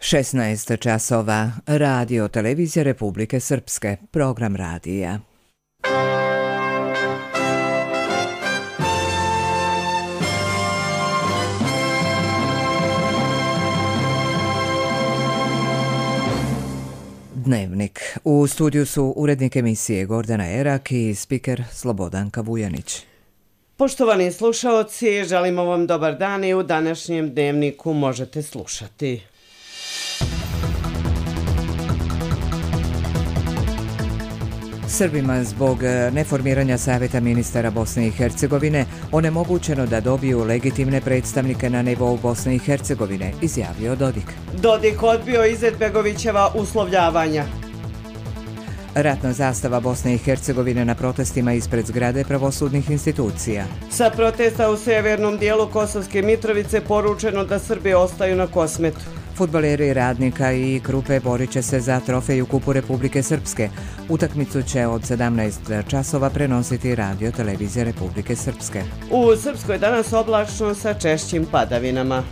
16 časova. Radio Televizija Republike Srpske. Program radija. Dnevnik. U studiju su urednik emisije Gordana Erak i spiker Slobodanka Vujanić. Poštovani slušaoci, želimo vam dobar dan i u današnjem dnevniku možete slušati. Srbima zbog neformiranja Savjeta ministara Bosne i Hercegovine onemogućeno da dobiju legitimne predstavnike na nivou Bosne i Hercegovine, izjavio Dodik. Dodik odbio Izetbegovićeva uslovljavanja. Ratna zastava Bosne i Hercegovine na protestima ispred zgrade pravosudnih institucija. Sa protesta u severnom dijelu Kosovske Mitrovice poručeno da Srbi ostaju na Kosmetu. Fudbaleri Radnika i Krupe borit će se za trofej u Kupu Republike Srpske. Utakmicu će od 17 časova prenositi Radio Televizija Republike Srpske. U Srpskoj danas oblačno sa češćim padavinama.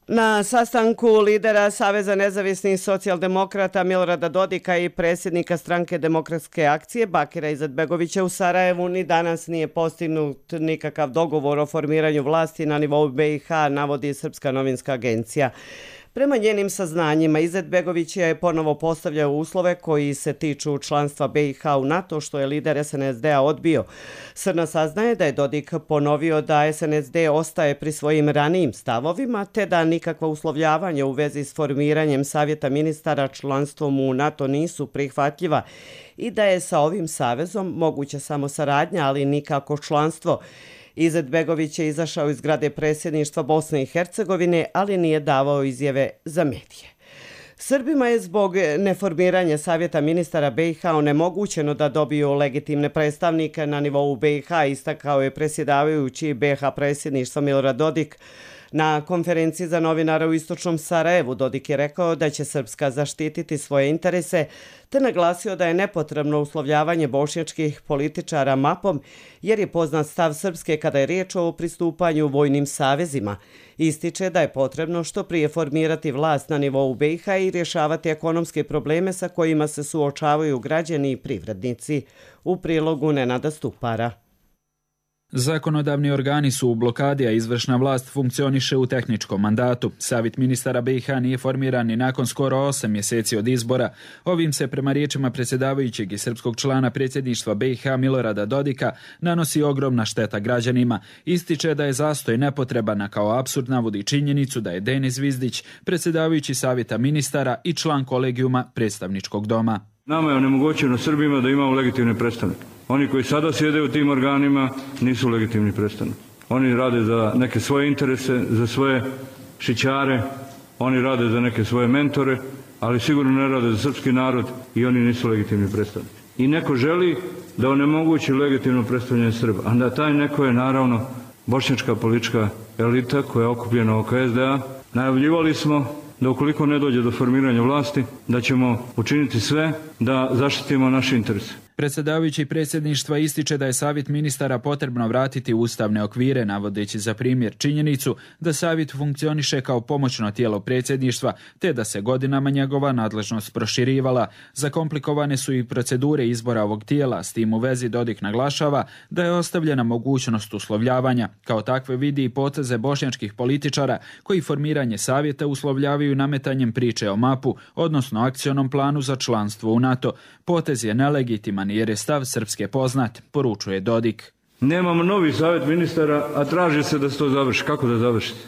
Na sastanku lidera Saveza nezavisnih socijaldemokrata Milorada Dodika i predsjednika stranke Demokratske akcije Bakira Izetbegovića u Sarajevu ni danas nije postignut nikakav dogovor o formiranju vlasti na nivou BiH, navodi Srpska novinska agencija. Prema njenim saznanjima, Izetbegović je ponovo postavljao uslove koji se tiču članstva BiH u NATO, što je lider SNSD-a odbio. Srna saznaje da je Dodik ponovio da SNSD ostaje pri svojim ranijim stavovima, te da nikakva uslovljavanja u vezi s formiranjem Savjeta ministara članstvom u NATO nisu prihvatljiva i da je sa ovim savezom moguća samo saradnja, ali nikako članstvo. Izetbegović je izašao iz zgrade predsjedništva Bosne i Hercegovine, ali nije davao izjave za medije. Srbima je zbog neformiranja Savjeta ministara BiH onemogućeno da dobiju legitimne predstavnike na nivou BiH, istakao je predsjedavajući BiH predsjedništva Milorad Dodik. Na konferenciji za novinara u istočnom Sarajevu Dodik je rekao da će Srpska zaštititi svoje interese, te naglasio da je nepotrebno uslovljavanje bošnjačkih političara mapom, jer je poznat stav Srpske kada je riječ o pristupanju vojnim savezima. Ističe da je potrebno što prije formirati vlast na nivou BiH i rješavati ekonomske probleme sa kojima se suočavaju građani i privrednici. U prilogu Nenada Stupara. Zakonodavni organi su u blokadi, a izvršna vlast funkcioniše u tehničkom mandatu. Savjet ministara BiH nije formiran ni nakon skoro 8 mjeseci od izbora. Ovim se, prema riječima predsjedavajućeg i srpskog člana predsjedništva BiH Milorada Dodika, nanosi ogromna šteta građanima. Ističe da je zastoj nepotreban, a kao apsurd navodi činjenicu da je Denis Zvizdić, predsjedavajući Savjeta ministara i član kolegijuma predstavničkog doma. Nama je onemogućeno Srbima da imamo legitimne predstavnike. Oni koji sada sjede u tim organima nisu legitimni predstavnici. Oni rade za neke svoje interese, za svoje šićare, oni rade za neke svoje mentore, ali sigurno ne rade za srpski narod i oni nisu legitimni predstavnici. I neko želi da onemogući legitimno predstavljanje Srba. A da taj neko je naravno bošnjačka politička elita koja je okupljena oko SDA. Najavljivali smo da ukoliko ne dođe do formiranja vlasti, da ćemo učiniti sve da zaštitimo naše interese. Predsjedavajući predsjedništva ističe da je Savjet ministara potrebno vratiti u ustavne okvire, navodeći za primjer činjenicu da Savjet funkcioniše kao pomoćno tijelo predsjedništva, te da se godinama njegova nadležnost proširivala. Zakomplikovane su i procedure izbora ovog tijela, s tim u vezi Dodik naglašava da je ostavljena mogućnost uslovljavanja. Kao takve vidi i poteze bošnjačkih političara koji formiranje Savjeta uslovljavaju nametanjem priče o mapu, odnosno akcionom planu za članstvo u NATO. Potez je nelegitiman jer je stav Srpske poznat, poručuje Dodik. Nemamo novi savjet ministara, a traži se da se to završi. Kako da završiti?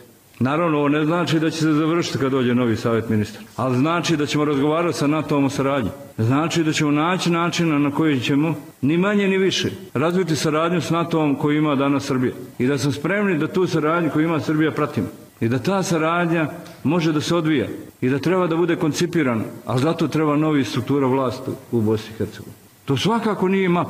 Naravno, ovo ne znači da će se završiti kad dođe novi savjet ministara, ali znači da ćemo razgovarati sa NATO-om o saradnji. Znači da ćemo naći načina na koji ćemo, ni manje ni više, razviti saradnju s NATO-om koju ima danas Srbija. I da smo spremni da tu saradnju koju ima Srbija pratimo. I da ta saradnja može da se odvija i da treba da bude koncipirana, ali zato treba novi struktura vlasti u Bosni i Hercegovini. To svakako nije map,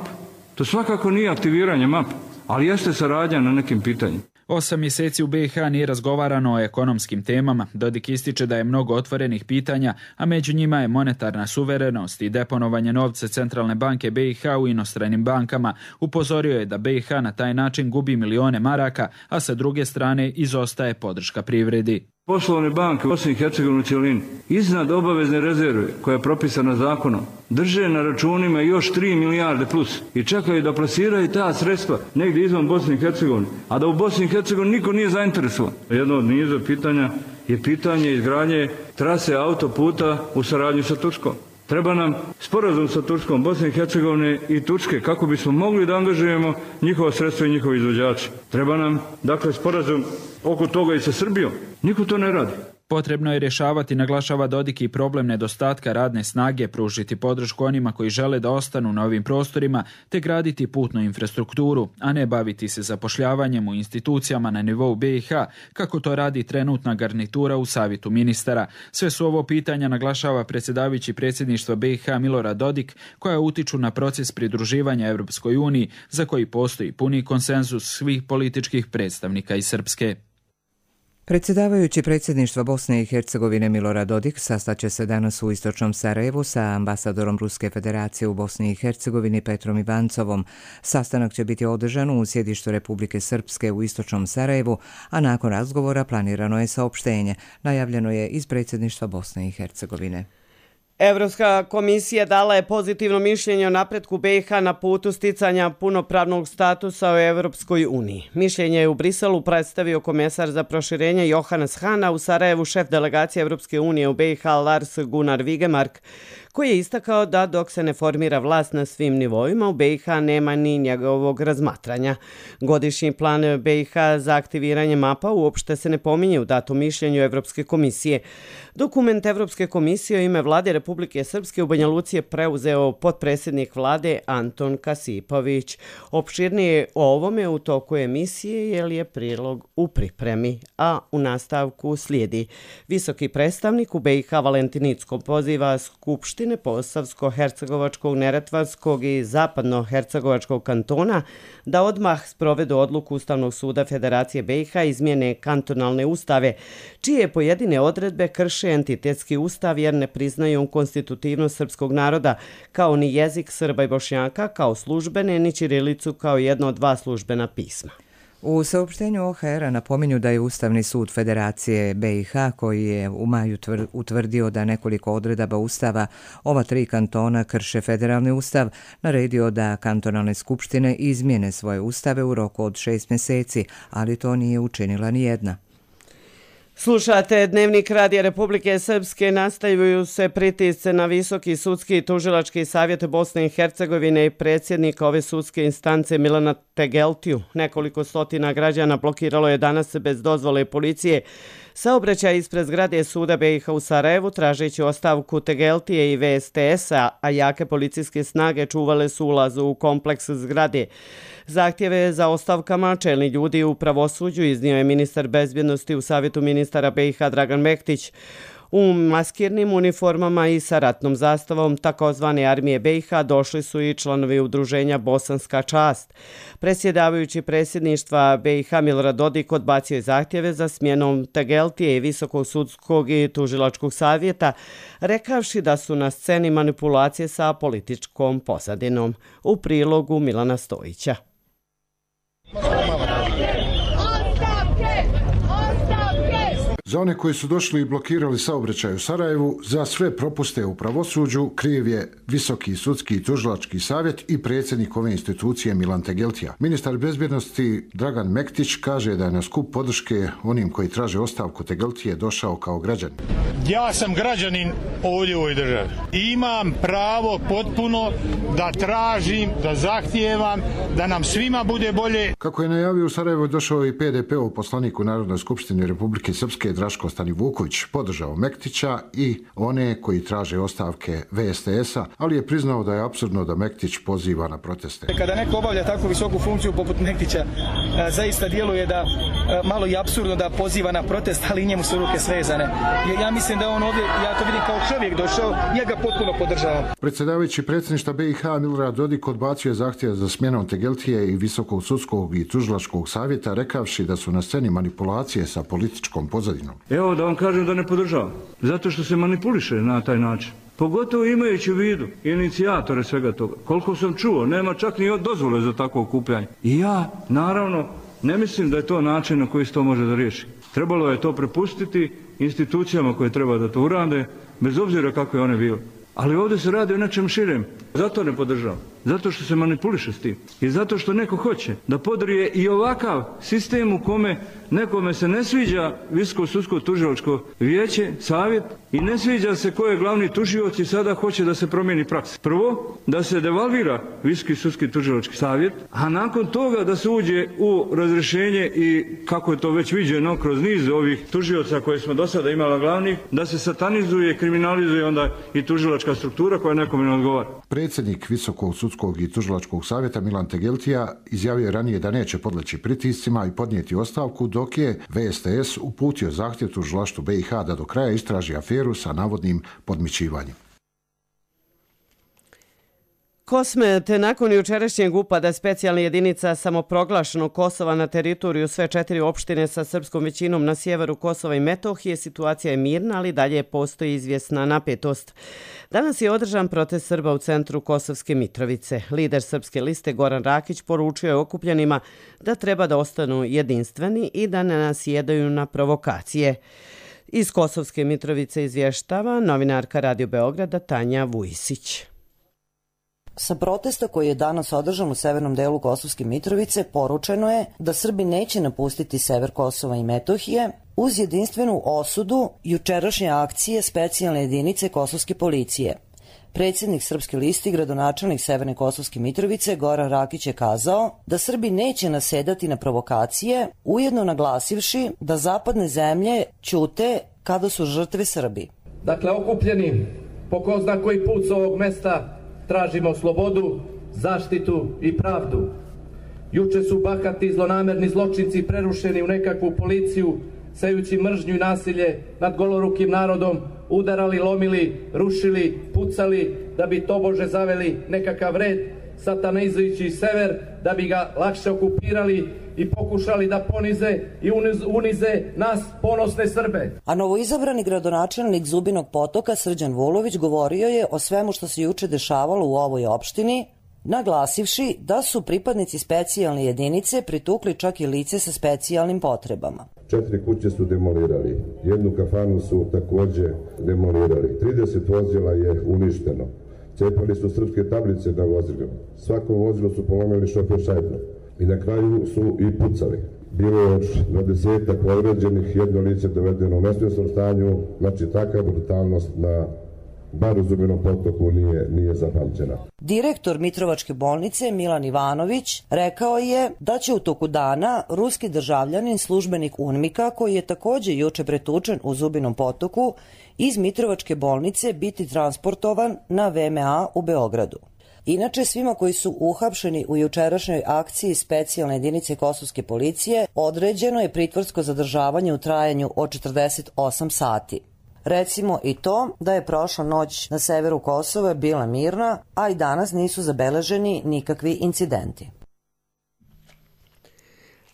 to svakako nije aktiviranje map, ali jeste saradnja na nekim pitanjima. 8 mjeseci u BiH nije razgovarano o ekonomskim temama. Dodik ističe da je mnogo otvorenih pitanja, a među njima je monetarna suverenost i deponovanje novca Centralne banke BiH u inostranim bankama. Upozorio je da BiH na taj način gubi milijone maraka, a sa druge strane izostaje podrška privredi. Poslovne banke u Bosni i Hercegovini u cjelini iznad obavezne rezerve koja je propisana zakonom drže na računima još 3 milijarde plus i čekaju da plasiraju ta sredstva negdje izvan Bosne i Hercegovine, a da u Bosni i Hercegovini niko nije zainteresovan. Jedno od niza pitanja je pitanje izgradnje trase autoputa u saradnji sa Turskom. Treba nam sporazum sa Turskom, Bosne i Hercegovine i Turske kako bismo mogli da angažujemo njihova sredstva i njihovi izvođači. Treba nam, dakle, sporazum oko toga i sa Srbijom. Niko to ne radi. Potrebno je rješavati, naglašava Dodik, i problem nedostatka radne snage, pružiti podršku onima koji žele da ostanu na ovim prostorima, te graditi putnu infrastrukturu, a ne baviti se zapošljavanjem u institucijama na nivou BiH, kako to radi trenutna garnitura u Savjetu ministara. Sve su ovo pitanja, naglašava predsjedavajući predsjedništva BiH Milorad Dodik, koja utiču na proces pridruživanja Europskoj uniji, za koji postoji puni konsenzus svih političkih predstavnika iz Srpske. Predsjedavajući predsjedništva Bosne i Hercegovine Milorad Dodik sastaće se danas u istočnom Sarajevu sa ambasadorom Ruske federacije u Bosni i Hercegovini Petrom Ivancovom. Sastanak će biti održan u sjedištu Republike Srpske u istočnom Sarajevu, a nakon razgovora planirano je saopštenje. Najavljeno je iz predsjedništva Bosne i Hercegovine. Evropska komisija dala je pozitivno mišljenje o napretku BiH na putu sticanja punopravnog statusa u Evropskoj uniji. Mišljenje je u Briselu predstavio komesar za proširenje Johannes Hahn, u Sarajevu šef delegacije Evropske unije u BiH Lars Gunnar Vigemark, koji je istakao da dok se ne formira vlast na svim nivoima, u BiH nema ni njegovog razmatranja. Godišnji plan BiH za aktiviranje mapa uopšte se ne pominje u datom mišljenju Evropske komisije. Dokument Evropske komisije u ime vlade Republike Srpske u Banja Luci je preuzeo potpredsjednik vlade Anton Kasipović. Opširnije o ovome u toku emisije jer je prilog u pripremi, a u nastavku slijedi. Visoki predstavnik u BiH Valentin Incko poziva Skupštine Posavsko-Hercegovačkog, Neretvanskog i Zapadno-Hercegovačkog kantona da odmah sprovedu odluku Ustavnog suda Federacije BiH izmjene kantonalne ustave, čije pojedine odredbe krše entitetski ustav jer ne priznaju konstitutivnost srpskog naroda, kao ni jezik Srba i Bošnjaka kao službene, ni ćirilicu kao jedno od dva službena pisma. U saopštenju OHR-a napominju da je Ustavni sud Federacije BiH, koji je u maju utvrdio da nekoliko odredaba Ustava ova 3 kantona krše federalni ustav, naredio da kantonalne skupštine izmjene svoje ustave u roku od 6 mjeseci, ali to nije učinila ni jedna. Slušate Dnevnik Radija Republike Srpske. Nastavljaju se pritisci na Visoki sudski i tužilački savjet Bosne i Hercegovine i predsjednika ove sudske instance Milana Tegeltiju. Nekoliko stotina građana blokiralo je danas bez dozvole policije saobraćaj ispred zgrade suda BiH u Sarajevu, tražeći ostavku Tegeltije i VSTS-a, a jake policijske snage čuvale su ulaz u kompleks zgrade. Zahtjeve za ostavkama čelni ljudi u pravosuđu iznio je ministar bezbjednosti u Savjetu ministara BiH Dragan Mektić. U maskirnim uniformama i sa ratnom zastavom takozvane armije BiH došli su i članovi udruženja Bosanska čast. Predsjedavajući predsjedništva BiH Milorad Dodik odbacio je zahtjeve za smjenom Tegeltije i Visokog sudskog i tužilačkog savjeta, rekavši da su na sceni manipulacije sa političkom pozadinom. U prilogu Milana Stojića. Za one koji su došli i blokirali saobraćaj u Sarajevu, za sve propuste u pravosuđu kriv je Visoki sudski i tužilački savjet i predsjednik ove institucije Milan Tegeltija. Ministar bezbjednosti Dragan Mektić kaže da je na skup podrške onim koji traže ostavku Tegeltije došao kao građanin. Ja sam građanin ovdje u ovoj državi. Imam pravo potpuno da tražim, da zahtijevam, da nam svima bude bolje. Kako je najavio u Sarajevu, došao i PDP-ov poslanik u Narodnoj skupštini Republike Srpske Draško Stanivuković podržao Mektića i one koji traže ostavke VSTS-a, ali je priznao da je apsurdno da Mektić poziva na proteste. Kada neko obavlja takvu visoku funkciju poput Mektića, zaista djeluje da malo i apsurdno da poziva na protest, ali i njemu su ruke svezane. Ja mislim da on ovdje, ja to vidim kao čovjek došao, ja ga potpuno podržavam. Predsjedavajući predsjedništva BiH Milorad Dodik odbacio je zahtjev za smjenom Tegeltije i Visokog sudskog i tužilačkog savjeta, rekavši da su na sceni manipulacije sa političkom pozadinom. Evo da vam kažem da ne podržavam, zato što se manipuliše na taj način. Pogotovo imajući u vidu inicijatore svega toga. Koliko sam čuo, nema čak ni dozvole za takvo okupljanje. I ja, naravno, ne mislim da je to način na koji se to može da riješi. Trebalo je to prepustiti institucijama koje treba da to urade, bez obzira kako je one bile. Ali ovdje se radi o nečem širem. Zato ne podržavam. Zato što se manipuliše s tim. I zato što neko hoće da podrije i ovakav sistem u kome nekome se ne sviđa Visoko sudsko tužilačko vijeće, savjet, i ne sviđa se ko je glavni tužioc i sada hoće da se promijeni praksa. Prvo, da se devalvira Visoki sudski tužilački savjet, a nakon toga da se uđe u razrješenje i, kako je to već viđeno kroz niz ovih tužioca koje smo do sada imali glavnih, da se satanizuje, kriminalizuje onda i tužilačka struktura koja nekome ne odgovara. Predsjednik Visokog sudskog i tužilačkog savjeta Milan Tegeltija izjavio je ranije da neće podleći pritiscima i podnijeti ostavku, dok je VSTS uputio zahtjev tužilaštvu BiH da do kraja istraži aferu sa navodnim podmićivanjem. Kosme, te nakon jučerašnjeg upada specijalnih jedinica samoproglašenog Kosova na teritoriju sve 4 opštine sa srpskom većinom na sjeveru Kosova i Metohije, situacija je mirna, ali dalje postoji izvjesna napetost. Danas je održan protest Srba u centru Kosovske Mitrovice. Lider Srpske liste Goran Rakić poručio je okupljenima da treba da ostanu jedinstveni i da ne nasjedaju na provokacije. Iz Kosovske Mitrovice izvještava novinarka Radio Beograda Tanja Vujisić. Sa protesta koji je danas održan u severnom delu Kosovske Mitrovice poručeno je da Srbi neće napustiti sever Kosova i Metohije uz jedinstvenu osudu jučerašnje akcije specijalne jedinice Kosovske policije. Predsjednik Srpske liste i gradonačelnik Severne Kosovske Mitrovice Goran Rakić je kazao da Srbi neće nasedati na provokacije, ujedno naglasivši da zapadne zemlje ćute kada su žrtve Srbi. Dakle, okupljeni po ko zna koji put s ovog mesta tražimo slobodu, zaštitu i pravdu. Juče su bahati zlonamerni zločinci prerušeni u nekakvu policiju, sejući mržnju i nasilje nad golorukim narodom, udarali, lomili, rušili, pucali, da bi tobože zaveli nekakav red, satanizujući sever, da bi ga lakše okupirali i pokušali da ponize i unize nas ponosne Srbe. A novoizabrani gradonačelnik Zubinog Potoka Srđan Vulović govorio je o svemu što se juče dešavalo u ovoj opštini, naglasivši da su pripadnici specijalne jedinice pritukli čak i lice sa specijalnim potrebama. 4 kuće su demolirali, 1 kafanu su također demolirali, 30 vozila je uništeno, cepali su srpske tablice na vozilima, svako vozilo su polomili šofer šajbno i na kraju su i pucali. Bilo je još 20 povređenih, 1 lice dovedeno u nesvjesnom stanju, znači takva brutalnost na bar u Zubinom Potoku nije zapamćena. Direktor Mitrovačke bolnice Milan Ivanović rekao je da će u toku dana ruski državljanin, službenik UNMIK-a, koji je također juče pretučen u Zubinom Potoku, iz Mitrovačke bolnice biti transportovan na VMA u Beogradu. Inače, svima koji su uhapšeni u jučerašnjoj akciji specijalne jedinice Kosovske policije određeno je pritvorsko zadržavanje u trajanju od 48 sati. Recimo i to da je prošla noć na severu Kosova bila mirna, a i danas nisu zabeleženi nikakvi incidenti.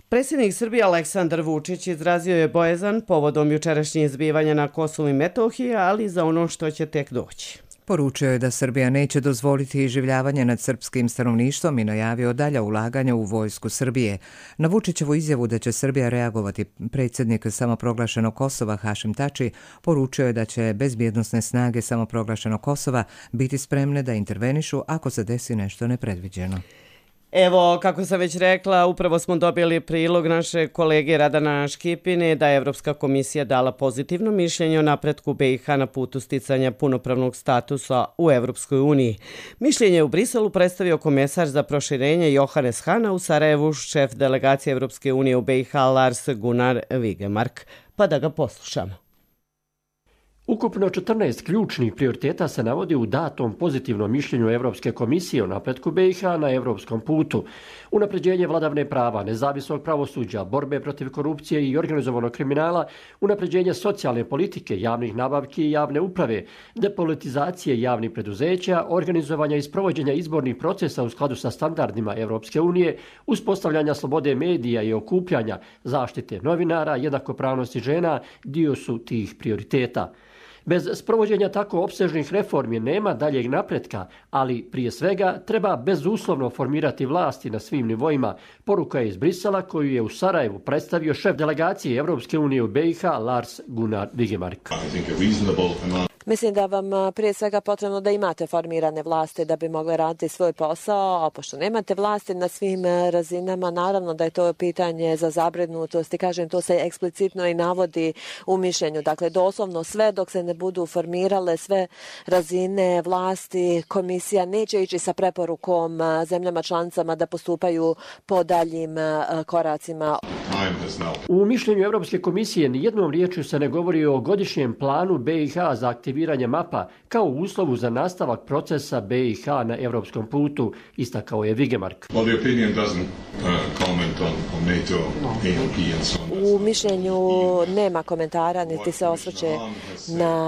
Predsjednik Srbije Aleksandar Vučić izrazio je bojazan povodom jučerašnjih zbivanja na Kosovu i Metohiji, ali za ono što će tek doći. Poručio je da Srbija neće dozvoliti iživljavanje nad srpskim stanovništvom i najavio dalja ulaganja u vojsku Srbije. Na Vučićevu izjavu da će Srbija reagovati, predsjednik samoproglašenog Kosova Hašim Tači poručio je da će bezbjednosne snage samoproglašenog Kosova biti spremne da intervenišu ako se desi nešto nepredviđeno. Evo, kako sam već rekla, upravo smo dobili prilog naše kolege Radana Škipine da je Evropska komisija dala pozitivno mišljenje o napretku BiH na putu sticanja punopravnog statusa u Evropskoj uniji. Mišljenje u Briselu predstavio komesar za proširenje Johannes Hahn, u Sarajevu šef delegacije Evropske unije u BiH Lars Gunnar Vigemark. Pa da ga poslušamo. Ukupno 14 ključnih prioriteta se navodi u datom pozitivnom mišljenju Evropske komisije o napretku BiH na evropskom putu. Unapređenje vladavine prava, nezavisnog pravosuđa, borbe protiv korupcije i organizovanog kriminala, unapređenje socijalne politike, javnih nabavki i javne uprave, depolitizacije javnih preduzeća, organizovanja i sprovođenja izbornih procesa u skladu sa standardima Evropske unije, uspostavljanja slobode medija i okupljanja, zaštite novinara, jednakopravnosti žena, dio su tih prioriteta. Bez sprovođenja tako opsežnih reformi nema daljeg napretka, ali prije svega treba bezuslovno formirati vlasti na svim nivoima. Poruka je iz Brisela koju je u Sarajevu predstavio šef delegacije Evropske unije u BiH Lars Gunnar Vigemark. Mislim da vam prije svega potrebno da imate formirane vlasti da bi mogli raditi svoj posao, a pošto nemate vlasti na svim razinama, naravno da je to pitanje za zabrinutost i kažem, to se eksplicitno i navodi u mišljenju. Dakle, doslovno sve dok se ne budu formirale sve razine vlasti, komisija neće ići sa preporukom zemljama članicama da postupaju po daljim koracima. U mišljenju Evropske komisije nijednom riječju se ne govori o godišnjem planu BiH za aktiviranje mapa kao uslovu za nastavak procesa BiH na evropskom putu, istakao je Vigemark. U mišljenju nema komentara, niti se osvrće na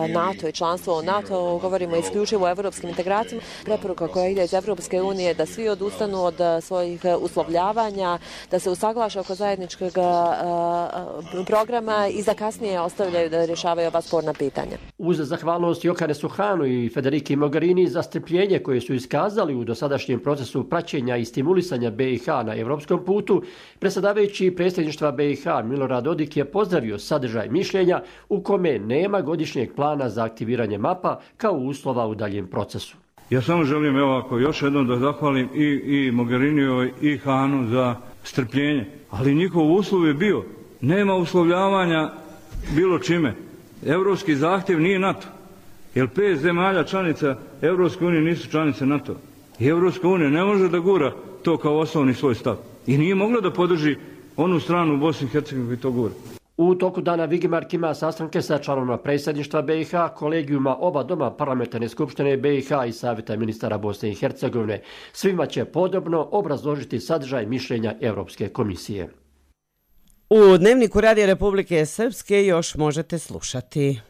NATO i članstvo u NATO, govorimo isključivo o evropskim integracijama. Preporuka koja ide iz Evropske unije da svi odustanu od svojih uslovljavanja, da se usaglaše oko zajedničkog programa i za kasnije ostavljaju da rješavaju ova sporna pitanja. Uz zahvalnost Johannesu Hahnu i Federici Mogherini za strpljenje koje su iskazali u dosadašnjem procesu praćenja i stimulisanja BiH na evropskom putu, predsjedavajući predsjedništva BiH Milorad Dodik je pozdravio sadržaj mišljenja u kome nema godišnjeg plana za aktiviranje mapa kao uslova u daljem procesu. Ja samo želim još jednom da zahvalim i Mogherinijoj i Hahnu za strpljenje, ali njihov uslov je bio nema uslovljavanja bilo čime. Evropski zahtjev nije NATO, jer 5 zemalja članica Evropske unije nisu članice NATO. I Evropska unija ne može da gura to kao osnovni svoj stav. I nije mogla da podrži onu stranu u Bosni i Hercegovini koji to gura. U toku dana Vigemark ima sastanke sa članovima predsjedništva BiH, kolegijuma oba doma parlamentarne skupštine BiH i savjeta ministara Bosne i Hercegovine. Svima će podobno obrazložiti sadržaj mišljenja Evropske komisije. U Dnevniku Radija Republike Srpske još možete slušati.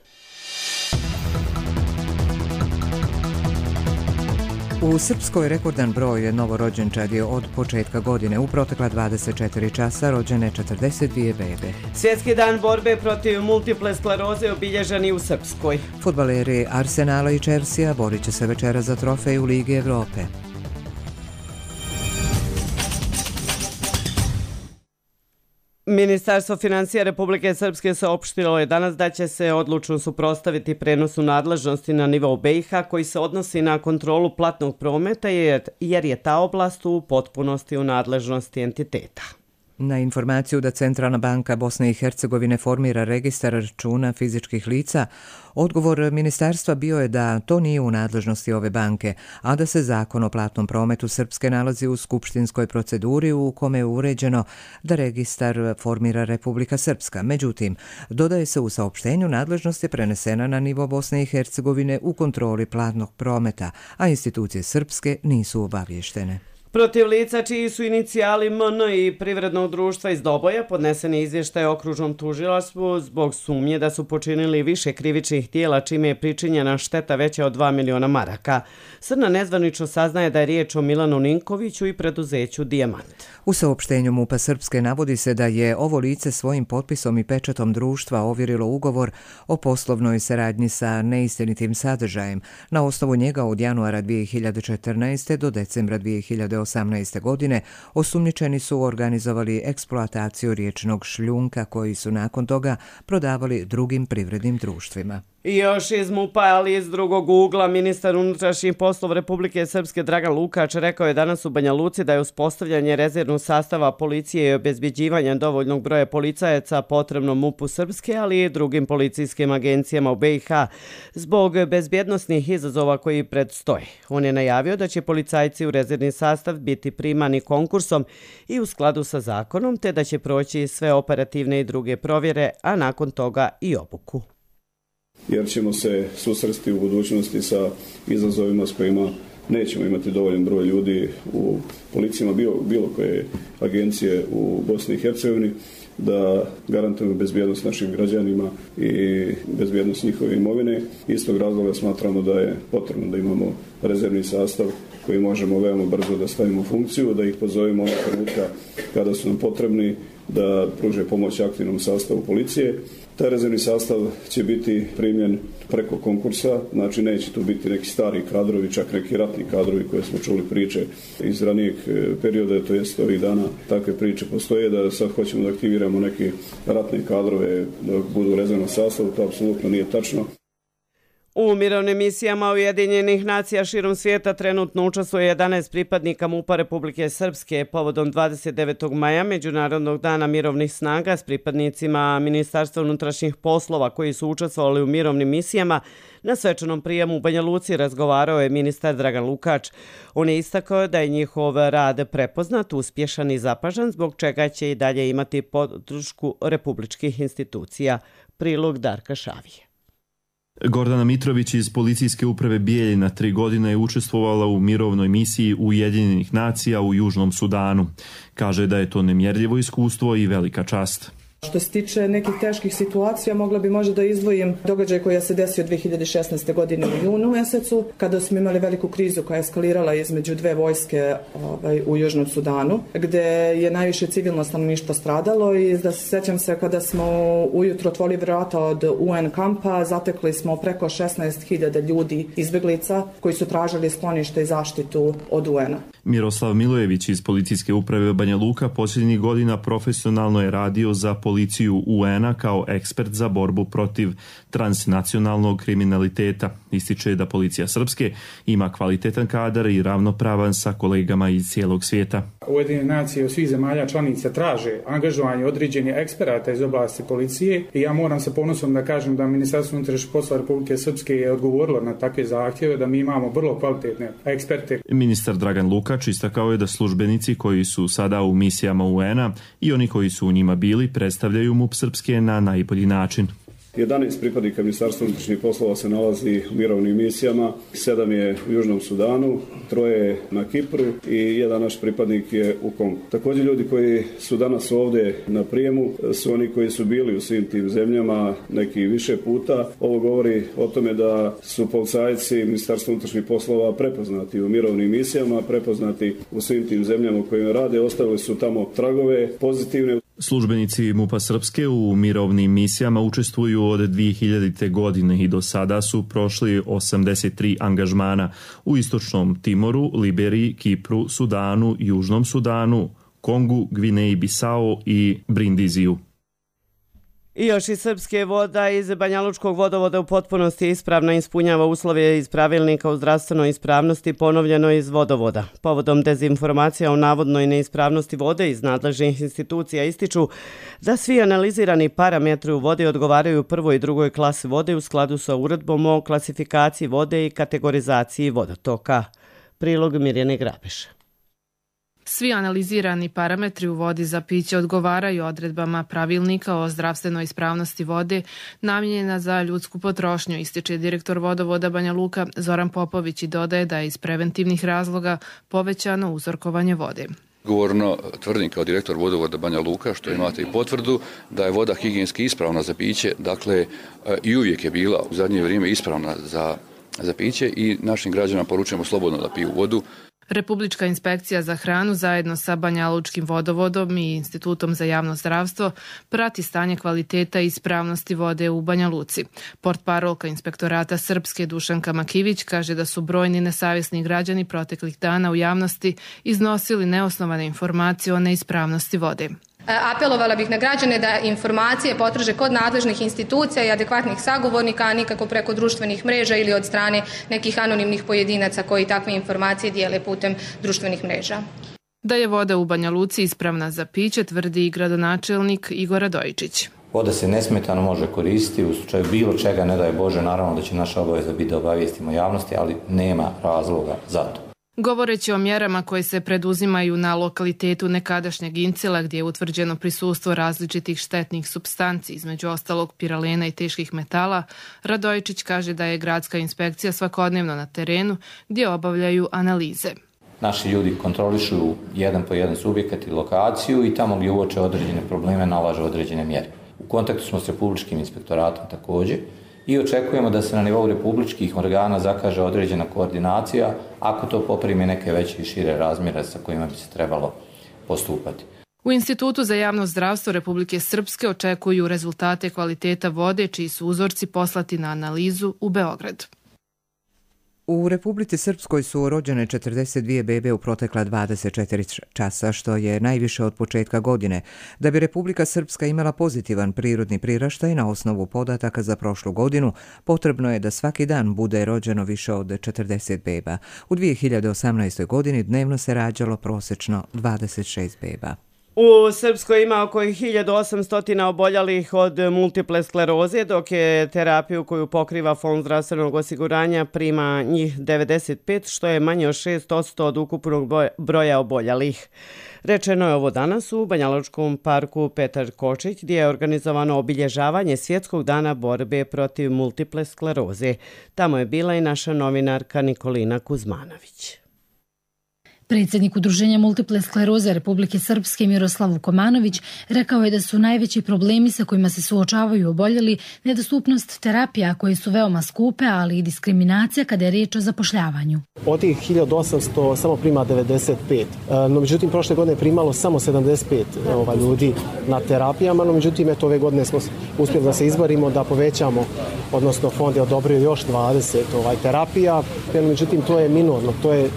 U Srpskoj rekordan broj novorođenčadi je od početka godine. U protekla 24 časa rođene 42 bebe. Svjetski dan borbe protiv multiple skleroze obilježen i u Srpskoj. Fudbaleri Arsenala i Chelsea borit će se večera za trofej u Ligi Evrope. Ministarstvo financija Republike Srpske saopštilo je danas da će se odlučno suprotstaviti prenosu nadležnosti na nivou BiH koji se odnosi na kontrolu platnog prometa jer je ta oblast u potpunosti u nadležnosti entiteta. Na informaciju da Centralna banka Bosne i Hercegovine formira registar računa fizičkih lica, odgovor ministarstva bio je da to nije u nadležnosti ove banke, a da se zakon o platnom prometu Srpske nalazi u skupštinskoj proceduri u kome je uređeno da registar formira Republika Srpska. Međutim, dodaje se u saopštenju nadležnost je prenesena na nivo Bosne i Hercegovine u kontroli platnog prometa, a institucije Srpske nisu obavještene. Protiv lica čiji su inicijali MN i privrednog društva iz Doboja podnesen je izvještaj okružnom tužilaštvu zbog sumnje da su počinili više krivičnih dijela čime je pričinjena šteta veća od 2 miliona maraka. Srna nezvanično saznaje da je riječ o Milanu Ninkoviću i preduzeću Dijamant. U saopštenju MUP-a Srpske navodi se da je ovo lice svojim potpisom i pečatom društva ovjerilo ugovor o poslovnoj saradnji sa neistinitim sadržajem. Na osnovu njega od januara 2014. do decembra 2018. godine osumnjičeni su organizovali eksploataciju riječnog šljunka koji su nakon toga prodavali drugim privrednim društvima. I još iz MUP-a, ali iz drugog ugla, ministar unutrašnjih poslova Republike Srpske Dragan Lukač rekao je danas u Banja Luci da je uspostavljanje rezervnog sastava policije i obezbjeđivanje dovoljnog broja policajaca potrebno MUP-u Srpske, ali i drugim policijskim agencijama u BiH zbog bezbjednosnih izazova koji predstoje. On je najavio da će policajci u rezervni sastav biti primani konkursom i u skladu sa zakonom, te da će proći sve operativne i druge provjere, a nakon toga i obuku. Jer ćemo se susresti u budućnosti sa izazovima s kojima nećemo imati dovoljan broj ljudi u policijama bilo koje agencije u Bosni i Hercegovini da garantujemo bezbjednost našim građanima i bezbjednost njihove imovine. Iz tog razloga smatramo da je potrebno da imamo rezervni sastav koji možemo veoma brzo da stavimo u funkciju, da ih pozovemo onog trenutka kada su nam potrebni da pruže pomoć aktivnom sastavu policije. Taj rezervni sastav će biti primljen preko konkursa, znači neće tu biti neki stari kadrovi, čak neki ratni kadrovi koje smo čuli priče iz ranijeg perioda, to jest ovih dana takve priče postoje, da sad hoćemo da aktiviramo neke ratne kadrove da budu u rezervnom sastavu, to apsolutno nije tačno. U mirovnim misijama Ujedinjenih nacija širom svijeta trenutno učestvuje 11 pripadnika MUP-a Republike Srpske. Povodom 29. maja, Međunarodnog dana mirovnih snaga, s pripadnicima Ministarstva unutrašnjih poslova koji su učestvovali u mirovnim misijama, na svečanom prijemu u Banja Luci razgovarao je ministar Dragan Lukač. On je istakao da je njihov rad prepoznat, uspješan i zapažan, zbog čega će i dalje imati podršku republičkih institucija. Prilog Darka Šavije. Gordana Mitrović iz policijske uprave Bijeljina 3 godine je učestvovala u mirovnoj misiji Ujedinjenih nacija u Južnom Sudanu. Kaže da je to nemjerljivo iskustvo i velika čast. Što se tiče nekih teških situacija, mogla bi možda da izdvojim događaj koji se desio 2016. godine u junu mjesecu, kada smo imali veliku krizu koja je eskalirala između dve vojske u Južnom Sudanu, gdje je najviše civilno stanovništvo stradalo i da se sjećam se kada smo ujutro otvorili vrata od UN kampa, zatekli smo preko 16.000 ljudi izbjeglica koji su tražili sklonište i zaštitu od UN-a. Miroslav Milojević iz policijske uprave Banja Luka posljednjih godina profesionalno je radio za policiju UN-a kao ekspert za borbu protiv transnacionalnog kriminaliteta. Ističe da policija Srpske ima kvalitetan kadar i ravnopravan sa kolegama iz cijelog svijeta. Ujedinjene nacije od svih zemalja članica traže angažovanje određenih eksperata iz oblasti policije i ja moram sa ponosom da kažem da Ministarstvo unutrašnjih poslova Republike Srpske je odgovorilo na takve zahtjeve, da mi imamo vrlo kvalitetne eksperte. Ministar Dragan Lukač istakao je da službenici koji su sada u misijama UN-a i oni koji su u njima bili predstavljaju MUP Srpske na najbolji način. 11 pripadnika Ministarstva unutrašnjih poslova se nalazi u mirovnim misijama, 7 je u Južnom Sudanu, 3 je na Kipru i jedan naš pripadnik je u Kongu. Također ljudi koji su danas ovdje na prijemu su oni koji su bili u svim tim zemljama neki više puta. Ovo govori o tome da su policajci Ministarstva unutrašnjih poslova prepoznati u mirovnim misijama, prepoznati u svim tim zemljama u kojima rade, ostavili su tamo tragove pozitivne. Službenici MUP-a Srpske u mirovnim misijama učestvuju od 2000. godine i do sada su prošli 83 angažmana u Istočnom Timoru, Liberiji, Kipru, Sudanu, Južnom Sudanu, Kongu, Gvineji Bisao i Brindiziju. I još iz Srpske voda iz Banjalučkog vodovoda u potpunosti ispravno ispunjava uslove iz pravilnika o zdravstvenoj ispravnosti ponovljeno iz vodovoda. Povodom dezinformacija o navodnoj neispravnosti vode iz nadležnih institucija ističu da svi analizirani parametri u vodi odgovaraju prvoj i drugoj klasi vode u skladu sa uredbom o klasifikaciji vode i kategorizaciji vodotoka. Prilog Mirjane Grabeša. Svi analizirani parametri u vodi za piće odgovaraju odredbama pravilnika o zdravstvenoj ispravnosti vode namijenjena za ljudsku potrošnju, ističe direktor vodovoda Banja Luka Zoran Popović i dodaje da je iz preventivnih razloga povećano uzorkovanje vode. Govorno tvrdim kao direktor vodovoda Banja Luka, što imate i potvrdu, da je voda higijenski ispravna za piće, dakle i uvijek je bila u zadnje vrijeme ispravna za piće i našim građanima poručujemo slobodno da piju vodu. Republička inspekcija za hranu zajedno sa Banjalučkim vodovodom i Institutom za javno zdravstvo prati stanje kvaliteta i ispravnosti vode u Banja Luci. Portparolka inspektorata Srpske Dušanka Makivić kaže da su brojni nesavjesni građani proteklih dana u javnosti iznosili neosnovane informacije o neispravnosti vode. Apelovala bih na građane da informacije potraže kod nadležnih institucija i adekvatnih sagovornika, a nikako preko društvenih mreža ili od strane nekih anonimnih pojedinaca koji takve informacije dijele putem društvenih mreža. Da je voda u Banja Luci ispravna za piće, tvrdi i gradonačelnik Igor Radojičić. Voda se nesmetano može koristiti u slučaju bilo čega, ne daj Bože, naravno da će naša obaveza biti da obavijestimo javnosti, ali nema razloga za to. Govoreći o mjerama koje se preduzimaju na lokalitetu nekadašnjeg Incila, gdje je utvrđeno prisustvo različitih štetnih supstanci, između ostalog piralena i teških metala, Radojičić kaže da je gradska inspekcija svakodnevno na terenu gdje obavljaju analize. Naši ljudi kontrolišu jedan po jedan subjekat i lokaciju i tamo gdje uoče određene probleme nalažu određene mjere. U kontaktu smo s Republičkim inspektoratom također i očekujemo da se na nivou republičkih organa zakaže određena koordinacija ako to poprimi neke veće i šire razmjere sa kojima bi se trebalo postupati. U Institutu za javno zdravstvo Republike Srpske očekuju rezultate kvaliteta vode, čiji su uzorci poslati na analizu u Beograd. U Republici Srpskoj su rođene 42 bebe u protekla 24 časa, što je najviše od početka godine. Da bi Republika Srpska imala pozitivan prirodni priraštaj na osnovu podataka za prošlu godinu, potrebno je da svaki dan bude rođeno više od 40 beba. U 2018. godini dnevno se rađalo prosječno 26 beba. U Srpskoj ima oko 1800 oboljelih od multiple skleroze, dok je terapiju koju pokriva Fond zdravstvenog osiguranja prima njih 95, što je manje od 6% od ukupnog broja oboljelih. Rečeno je ovo danas u Banjalučkom parku Petar Kočić, gdje je organizovano obilježavanje Svjetskog dana borbe protiv multiple skleroze. Tamo je bila i naša novinarka Nikolina Kuzmanović. Predsjednik Udruženja multiple skleroze Republike Srpske Miroslav Vukomanović rekao je da su najveći problemi sa kojima se suočavaju oboljeli nedostupnost terapija koje su veoma skupe, ali i diskriminacija kada je riječ o zapošljavanju. Od tih 1800 samo prima 95, no međutim prošle godine primalo samo 75 ljudi na terapijama, no međutim ove godine smo uspjeli da se izborimo, da povećamo, odnosno fond je odobrio još 20 terapija, no međutim to je minorno,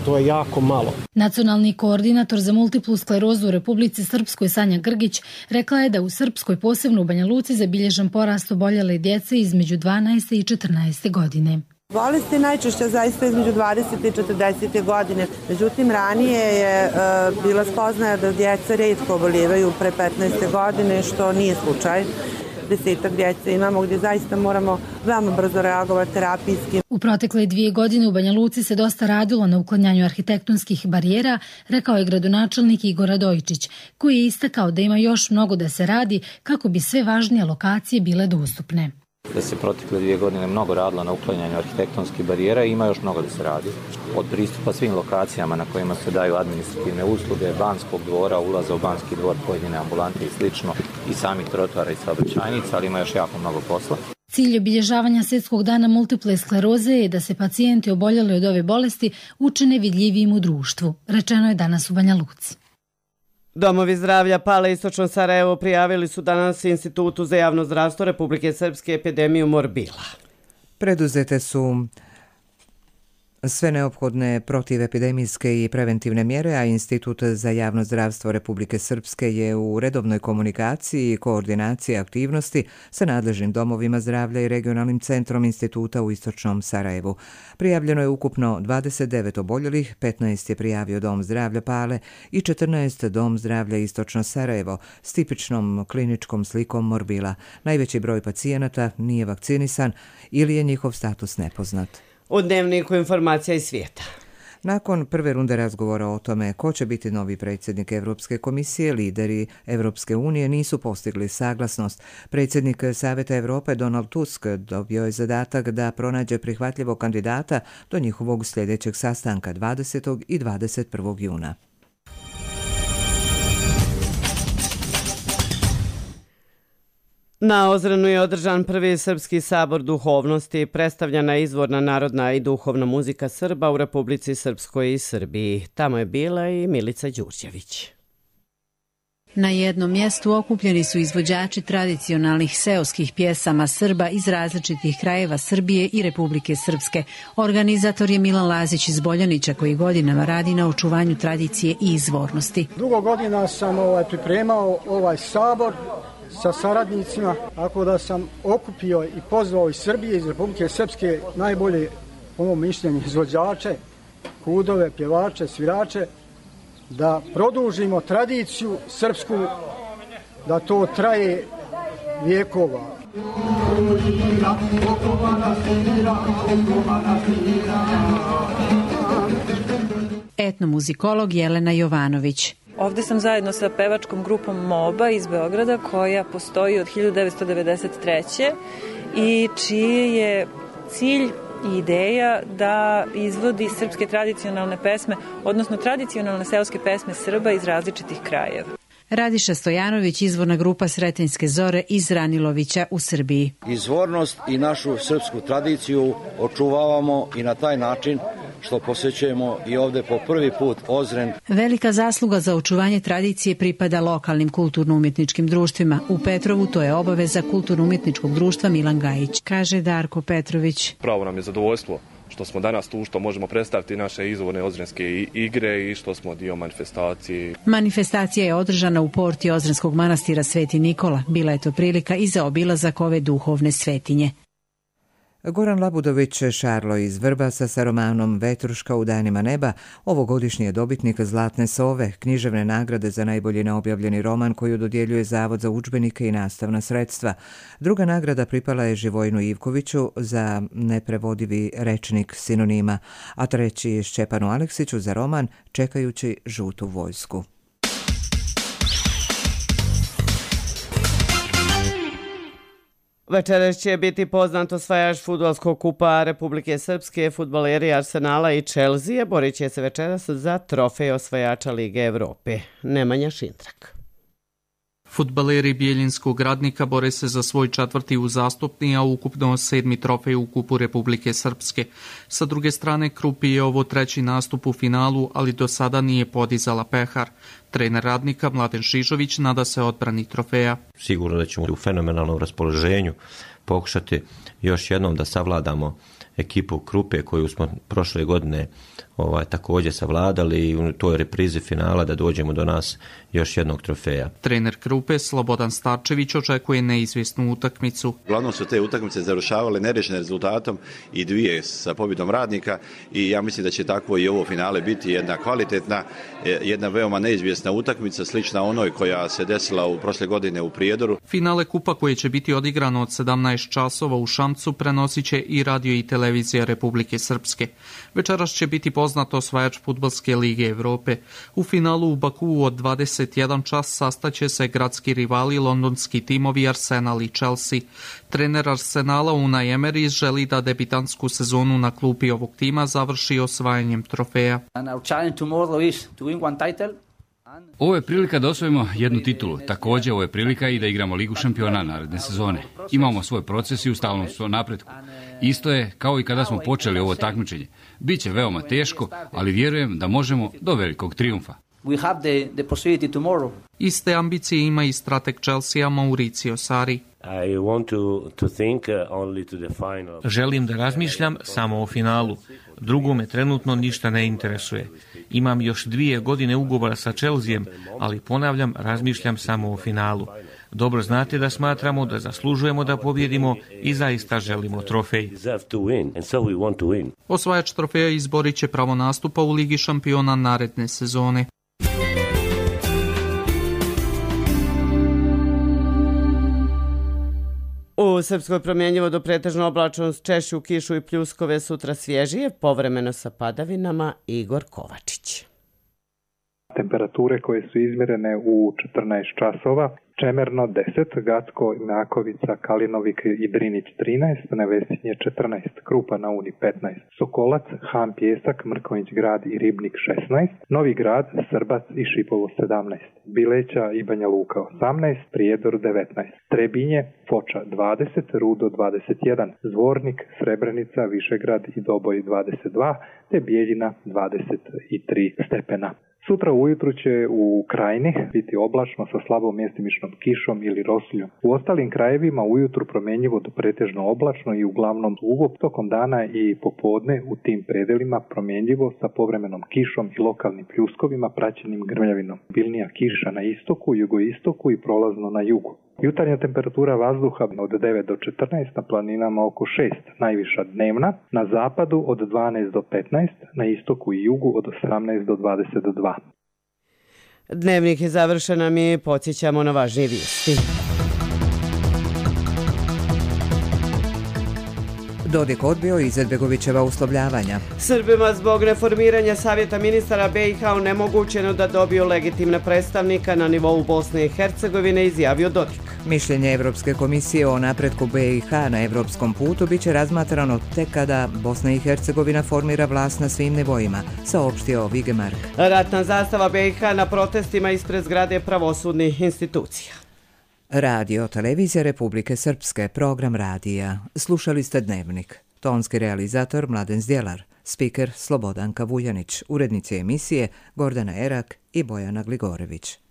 to je jako malo. Nacionalni koordinator za multiplu sklerozu u Republici Srpskoj Sanja Grgić rekla je da u Srpskoj, posebno u Banja Luci, zabilježen porast oboljele djece između 12. i 14. godine. Bolest je najčešće zaista između 20. i 40. godine. Međutim, ranije je bila spoznaja da djeca rijetko obolijevaju pre 15. godine, što nije slučaj. 10 djece imamo gdje zaista moramo veoma brzo reagovati terapijski. U protekle 2 godine u Banja Luci se dosta radilo na uklanjanju arhitektonskih barijera, rekao je gradonačelnik Igor Radojičić, koji je istakao da ima još mnogo da se radi kako bi sve važnije lokacije bile dostupne. Da se protekle 2 godine mnogo radilo na uklanjanju arhitektonskih barijera i ima još mnogo da se radi. Od pristupa svim lokacijama na kojima se daju administrativne usluge, Banskog dvora, ulaza u Banski dvor, pojedine ambulante i slično, i samih trotoara i saobraćajnica, ali ima još jako mnogo posla. Cilj obilježavanja Svjetskog dana multiple skleroze je da se pacijenti oboljeli od ove bolesti učine vidljivijim u društvu, rečeno je danas u Banja Luci. Domovi zdravlja Pale istočno Sarajevo prijavili su danas Institutu za javno zdravstvo Republike Srpske epidemiju morbila. Preduzete su sve neophodne protivepidemijske i preventivne mjere, a Institut za javno zdravstvo Republike Srpske je u redovnoj komunikaciji i koordinaciji aktivnosti sa nadležnim domovima zdravlja i regionalnim centrom instituta u istočnom Sarajevu. Prijavljeno je ukupno 29 oboljelih, 15 je prijavio Dom zdravlja Pale i 14 Dom zdravlja istočno Sarajevo s tipičnom kliničkom slikom morbila. Najveći broj pacijenata nije vakcinisan ili je njihov status nepoznat. U dnevniku informacija iz svijeta. Nakon prve runde razgovora o tome ko će biti novi predsjednik Evropske komisije, lideri Evropske unije nisu postigli saglasnost. Predsjednik Savjeta Europe Donald Tusk dobio je zadatak da pronađe prihvatljivog kandidata do njihovog sljedećeg sastanka 20. i 21. juna. Na Ozrenu je održan prvi Srpski sabor duhovnosti, predstavljena izvorna narodna i duhovna muzika Srba u Republici Srpskoj i Srbiji. Tamo je bila i Milica Đurđević. Na jednom mjestu okupljeni su izvođači tradicionalnih seoskih pjesama Srba iz različitih krajeva Srbije i Republike Srpske. Organizator je Milan Lazić iz Boljanića koji godinama radi na očuvanju tradicije i izvornosti. Dugo godina sam pripremao ovaj sabor sa saradnicima, tako da sam okupio i pozvao iz Srbije, iz Republike Srpske najbolje, po mom mišljenju, izvođače, kudove, pjevače, svirače, da produžimo tradiciju srpsku, da to traje vjekova. Etnomuzikolog Jelena Jovanović. Ovdje sam zajedno sa pevačkom grupom MOBA iz Beograda koja postoji od 1993. i čiji je cilj i ideja da izvodi srpske tradicionalne pesme, odnosno tradicionalne seoske pesme Srba iz različitih krajeva. Radiša Stojanović, izvorna grupa Sretenjske zore iz Ranilovića u Srbiji. Izvornost i našu srpsku tradiciju očuvavamo i na taj način što posjećujemo i ovdje po prvi put Ozren. Velika zasluga za očuvanje tradicije pripada lokalnim kulturno-umjetničkim društvima. U Petrovu to je obaveza kulturno-umjetničkog društva Milan Gajić, kaže Darko Petrović. Pravo nam je zadovoljstvo što smo danas tu, što možemo predstaviti naše izvorne ozrenske igre i što smo dio manifestacije. Manifestacija je održana u porti Ozrenskog manastira Sveti Nikola. Bila je to prilika i za obilazak ove duhovne svetinje. Goran Labudović Šarlo iz Vrbasa sa romanom Vetruška u danima neba ovogodišnji je dobitnik Zlatne sove, književne nagrade za najbolji neobjavljeni roman koju dodjeljuje Zavod za udžbenike i nastavna sredstva. Druga nagrada pripala je Živojinu Ivkoviću za neprevodivi rečnik sinonima, a treći Šćepanu Aleksiću za roman Čekajući žutu vojsku. Večeras će biti poznat osvajač fudbalskog kupa Republike Srpske, fudbaleri Arsenala i Chelsea borit će se večeras za trofej osvajača Lige Evrope. Nemanja Šintrak. Fudbaleri Bijeljinskog Radnika bore se za svoj četvrti uzastopni, a ukupno 7. trofej u kupu Republike Srpske. Sa druge strane, Krupi je ovo treći nastup u finalu, ali do sada nije podizala pehar. Trener Radnika Mladen Šižović nada se odbrani trofeja. Sigurno da ćemo u fenomenalnom raspoloženju pokušati još jednom da savladamo ekipu Krupe koju smo prošle godine također savladali i u toj reprizi finala da dođemo do nas još jednog trofeja. Trener Krupe Slobodan Starčević očekuje neizvjesnu utakmicu. Uglavnom su te utakmice završavale nerešenim rezultatom i dvije sa pobjedom Radnika i ja mislim da će takvo i ovo finale biti jedna kvalitetna, jedna veoma neizvjesna utakmica, slična onoj koja se desila u prošle godine u Prijedoru. Finale kupa koje će biti odigrano od 17 časova u Šamcu prenosit će i radio i televizija Republike Srpske. Večeras će biti poznat osvajač fudbalske lige Evrope. U finalu u Bakuu od 21 čas sastaće se gradski rivali londonski timovi Arsenal i Chelsea. Trener Arsenala Unai Emery želi da debitantsku sezonu na klupi ovog tima završi osvajanjem trofeja. Ovo je prilika da osvojimo jednu titulu. Također ovo je prilika i da igramo Ligu šampiona naredne sezone. Imamo svoj proces i u stalnom svoj napretku. Isto je kao i kada smo počeli ovo takmičenje. Biće veoma teško, ali vjerujem da možemo do velikog trijumfa. Iste ambicije ima i strateg Chelsea Mauricio Sarri. Želim da razmišljam samo o finalu. Drugo me trenutno ništa ne interesuje. Imam još 2 godine ugovora sa Chelseaem, ali ponavljam, razmišljam samo o finalu. Dobro znate da smatramo da zaslužujemo da pobjedimo i zaista želimo trofej. Osvajač trofeja izborit će pravo nastupa u Ligi šampiona naredne sezone. U Srpskoj promjenjivo do pretežno oblačno, češću kišu i pljuskove, sutra svježije, povremeno sa padavinama. Igor Kovačić. Temperature koje su izmjerene u 14 časova. Čemerno 10, Gacko, Inakovica, Kalinovik i Drinić 13, Nevesinje 14, Krupa na Uni 15, Sokolac, Han Pjesak, Mrkonjić grad i Ribnik 16, Novi grad, Srbac i Šipovo 17, Bileća i Banja Luka 18, Prijedor 19, Trebinje, Foča 20, Rudo 21, Zvornik, Srebrenica, Višegrad i Doboj 22, te Bijeljina 23 stepena. Sutra ujutru će u Krajini biti oblačno sa slabom mjestimičnom kišom ili rosuljom. U ostalim krajevima ujutru promjenjivo do pretežno oblačno i uglavnom suvo, tokom dana i popodne u tim predelima promjenjivo sa povremenom kišom i lokalnim pljuskovima praćenim grmljavinom. Bilnija kiša na istoku, jugoistoku i prolazno na jugu. Jutarnja temperatura vazduha od 9 do 14, na planinama oko 6, najviša dnevna, na zapadu od 12 do 15, na istoku i jugu od 18 do 22. Dnevnik je završen, a mi podsjećamo na važnije vijesti. Dodik odbio Izetbegovićeva uslovljavanja. Srbima zbog reformiranja Savjeta ministara BiH onemogućeno da dobiju legitimne predstavnika na nivou Bosne i Hercegovine, izjavio Dodik. Mišljenje Evropske komisije o napretku BiH na evropskom putu biće razmatrano tek kada Bosna i Hercegovina formira vlast na svim nivoima, saopštio Vigemark. Ratna zastava BiH na protestima ispred zgrade pravosudnih institucija. Radio Televizija Republike Srpske, program radija. Slušali ste Dnevnik. Tonski realizator Mladen Zdjelar, spiker Slobodanka Vuljanić, urednici emisije Gordana Erak i Bojana Gligorević.